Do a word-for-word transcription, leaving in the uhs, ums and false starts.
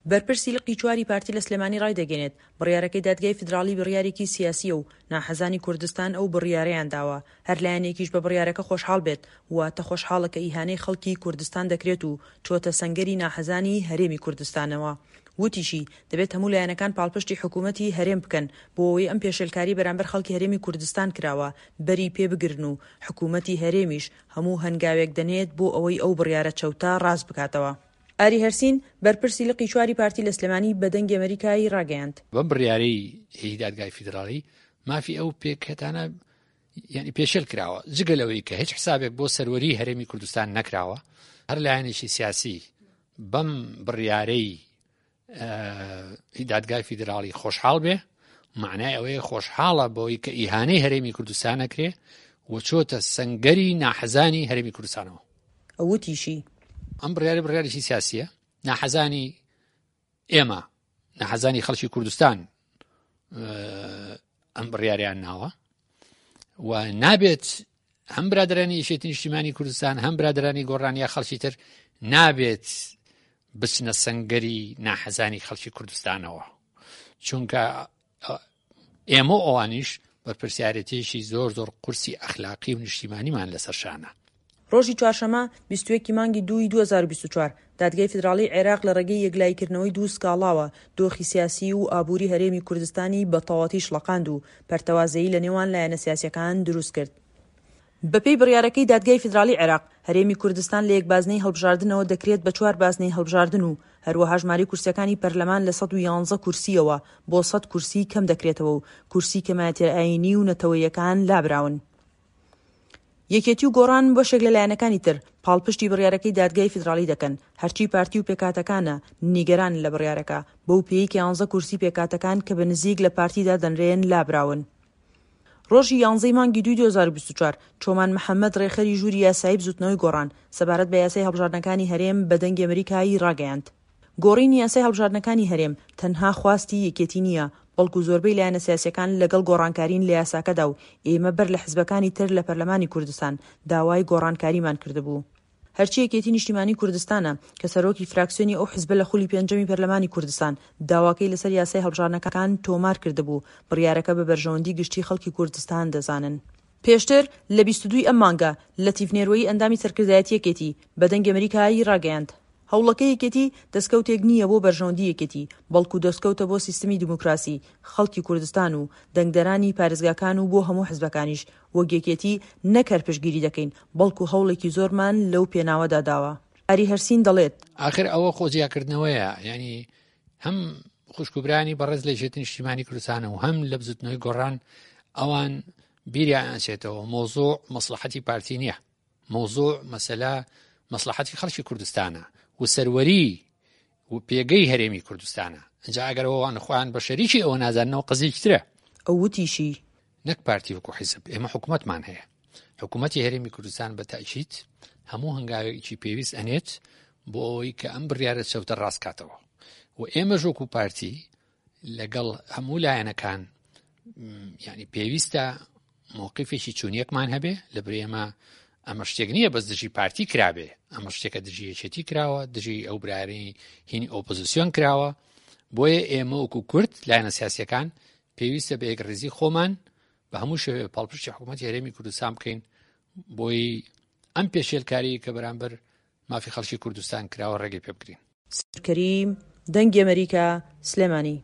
بەرپرسی لقی چواری پارتی لە سلێمانی ڕایدەگەیەنێت، بڕیارەکەی دادگای فیدراڵی بڕیارێکی سیاسییە و ناحەزانی کوردستان ئەو بڕیارەیان داوە، هەر لایەنێکیش بە بڕیارەکە خۆشحاڵ بێت، واتە خۆشحاڵە کە ئیهانەی خەڵکی کوردستان دەکرێت و چۆتە سەنگەری ناحەزانی هەرێمی کوردستانەوە. وتیشی، دەبێت هەموو لایەنەکان پاڵپشتی حکوومەتی هەرێم بکەن بۆ ئەوەی ئەم پێشێلکارییە بەرامبەر خەڵکی هەرێمی کوردستان کراوە بەری پێ بگرن و حکوومەتی هەرێمیش هەموو هەنگاوێک دەنێت بۆ ئەوەی ئەو بڕیارە چەوتە ڕاست بکاتەوە. ئاری هەرسین، بەرپرسی لقی چواری پارتی لە سلێمانی بە دەنگی ئەمەریکای ڕاگەیاند. بەم بڕیارەی هی دادگای فیدراڵی مافی ئەو پێکهێتانە یعنی پێشێل کراوە، جگە لەوەی کە هیچ حسابێک بۆ سەروەری هەرێمی کوردستان نەکراوە. هەر لایەنێکی سیاسی بەم بڕیارەی دادگای فیدراڵی خۆشحاڵ بێ، معنای ئەوەیە خۆشحاڵە بۆی کە ئیهانەی هەرێمی کوردستان نەکرێ و چۆتە سەنگەری ناحەزانی هەرێمی کوردستانەوە. وتیشی، ئەم بڕیاری بڕیارێکی سیاسیە، ناحەزانی ئێمە، ناحەزانی خەڵکی کوردستان ئەم بڕیاریان ناوە و نابێت هەم برادرانی یەکێتی نیشتیمانی کوردستان هەم برادرانی گۆڕان یا خەڵکی تر نابێت بچنە سەنگەری ناحەزانی خەڵکی کوردستانەوە، چونکە ئێمە ئەوانیش بەرپرسیارێتیشی زۆر زۆر قورسی ئەخلاقی و نیشتیمانیمان لەسەر شانە. ڕۆژی چوارشەممە بیست و یەک ی مانگی دووی دوو هەزار و بیست و چوار، دادگای فیدراڵیی عێراق لە ڕێگەی یەکلاییکردنەوەی دوو سکاڵاوە دۆخی سیاسی و ئابووری هەرێمی کوردستانی بە تەواوەتی شڵەقاند و پەرتەوازەیی لە نێوان لایەنە سیاسییەکان دروست کرد. بەپێی بڕیارەکەی دادگای فیدراڵیی عێراق، هەرێمی کوردستان لە یەک بازنەی هەڵبژاردنەوە دەکرێت بە چوار بازنەی هەڵبژاردن و هەروەها ژمارەی کورسییەکانی پەرلەمان لە سەد و یانزە کورسییەوە بۆ سەد کورسی کەم دەکرێتەوە و کورسی کەمایەتییە ئایینی و نەتەوەییەکان لابراون. یەکێتی و گۆڕان و بەشێک لە لایەنەکانی تر پاڵپشتی بڕیارەکەی دادگای فیدراڵی دەکەن، هەرچی پارتی و پێکهاتەکانە نیگەرانن لە بڕیارەکە، بەو پێیەی کە یانزە کورسی پێکهاتەکان کە بە نزیک لە پارتی دادەنرێن لابراون. ڕۆژی یانزەی مانگی دووی دوو هەزار و بیست و چوار، چۆمان محەمەد ڕێکخەری ژووری یاسایی بزوتنەوەی گۆڕان سەبارەت بە یاسای هەڵبژاردنەکانی هەرێم بە دەنگی ئەمریکای ڕاگەیاند، گۆڕینی یاسای هەڵبژاردنەکانی هەرێم تەنها خواستی یەکێتی نییە، بەڵکو زۆربەی لایەنە سیاسییەکان لەگەڵ گۆڕانکارین لە یاساکەدا و ئێمە بەر لە حزبەکانی تر لە پەرلەمانی کوردستان داوای گۆڕانکاریمان کردبوو. هەرچی یەکێتی نیشتیمانی کوردستانە کە سەرۆکی فراکسیۆنی ئەو حزبە لە خولی پێنجەمی پەرلەمانی کوردستان داواکەی لەسەر یاسای هەڵبژاردنەکان تۆمار کردبوو، بڕیارەکە بە بەرژەوەندی گشتی خەڵکی کوردستان دەزانن. پێشتر لە بیست و دوو ی ئەم مانگە لەتیف نێروەیی ئەندامی سەرکردایەتی یەکێتی بە دەنگی ئەمریکای ڕاگەیاند، هەوڵەکەی یەکێتی دەستکەوتێک نییە بۆ بەرژەوەندی یەکێتی، بەڵکو دەستکەوتە بۆ سیستمی دیموکراسی خەڵکی کوردستان و دەنگدەرانی پارێزگاکان و بۆ هەموو حزبەکانیش، وەک یەکێتی نەک هەر پشتگیری دەکەین، بەڵکو هەوڵێکی زۆرمان لەو پێناوەدا داوە. ئاری هەرسین دەڵێت. ئاخر ئەوە خۆ جیاکردنەوەیە، یعنی هەم خوشک و برانی بەڕێز لە یەکێتی نیشتیمانی کوردستان و هەم لە بزوتنەوەی گۆڕان ئەوان بیریان ئەچێتەوە مۆزوع مەسلحەتی پارتی نییە، مۆزوع مەسەلە مەسلحەتی خەڵکی کوردستانە و سەروەری و پێگەی هەرێمی کوردستانە. ئەنجا ئەگەر ئەوان خۆیان بە شەریکی ئەوە نازاننەوە قەزیەکی ترە. ئەو وتیشی، نەک پارتی وەکو حیزب، ئێمە حکوومەتمان هەیە، حکوومەتی هەرێمی کوردستان بە تاکید هەموو هەنگاوێکی پێویست ئەنێت بۆ ئەوەی کە ئەم بڕیارە چەوتە ڕاست کاتەوە و ئێمەش وەکو پارتی لەگەڵ هەموو لایەنەکان یعنی پێویستە موقفێکی چونیەکمان هەبێ. لە بری ئێمە ئەمە شتێک نییە بەس دژی پارتی کرابێ، ئەمە شتێکە دژی یەکێتی کراوە، دژی ئەو برایانی هینی ئۆپۆزیسیۆن کراوە. بۆیە ئێمە وەکو کورد لایەنە سیاسیەکان پێویستە بە یەکڕیزی خۆمان بە هەموو شێوەیە پاڵپشتی حکوومەتی هەرێمی کوردستان بکەین بۆی ئەم پێشێلکاری کە بەرامبەر مافی خەڵکی کوردستان کراوە ڕێگەی پێ بگرین. کەریم، دەنگی ئەمەریکا، سلێمانی.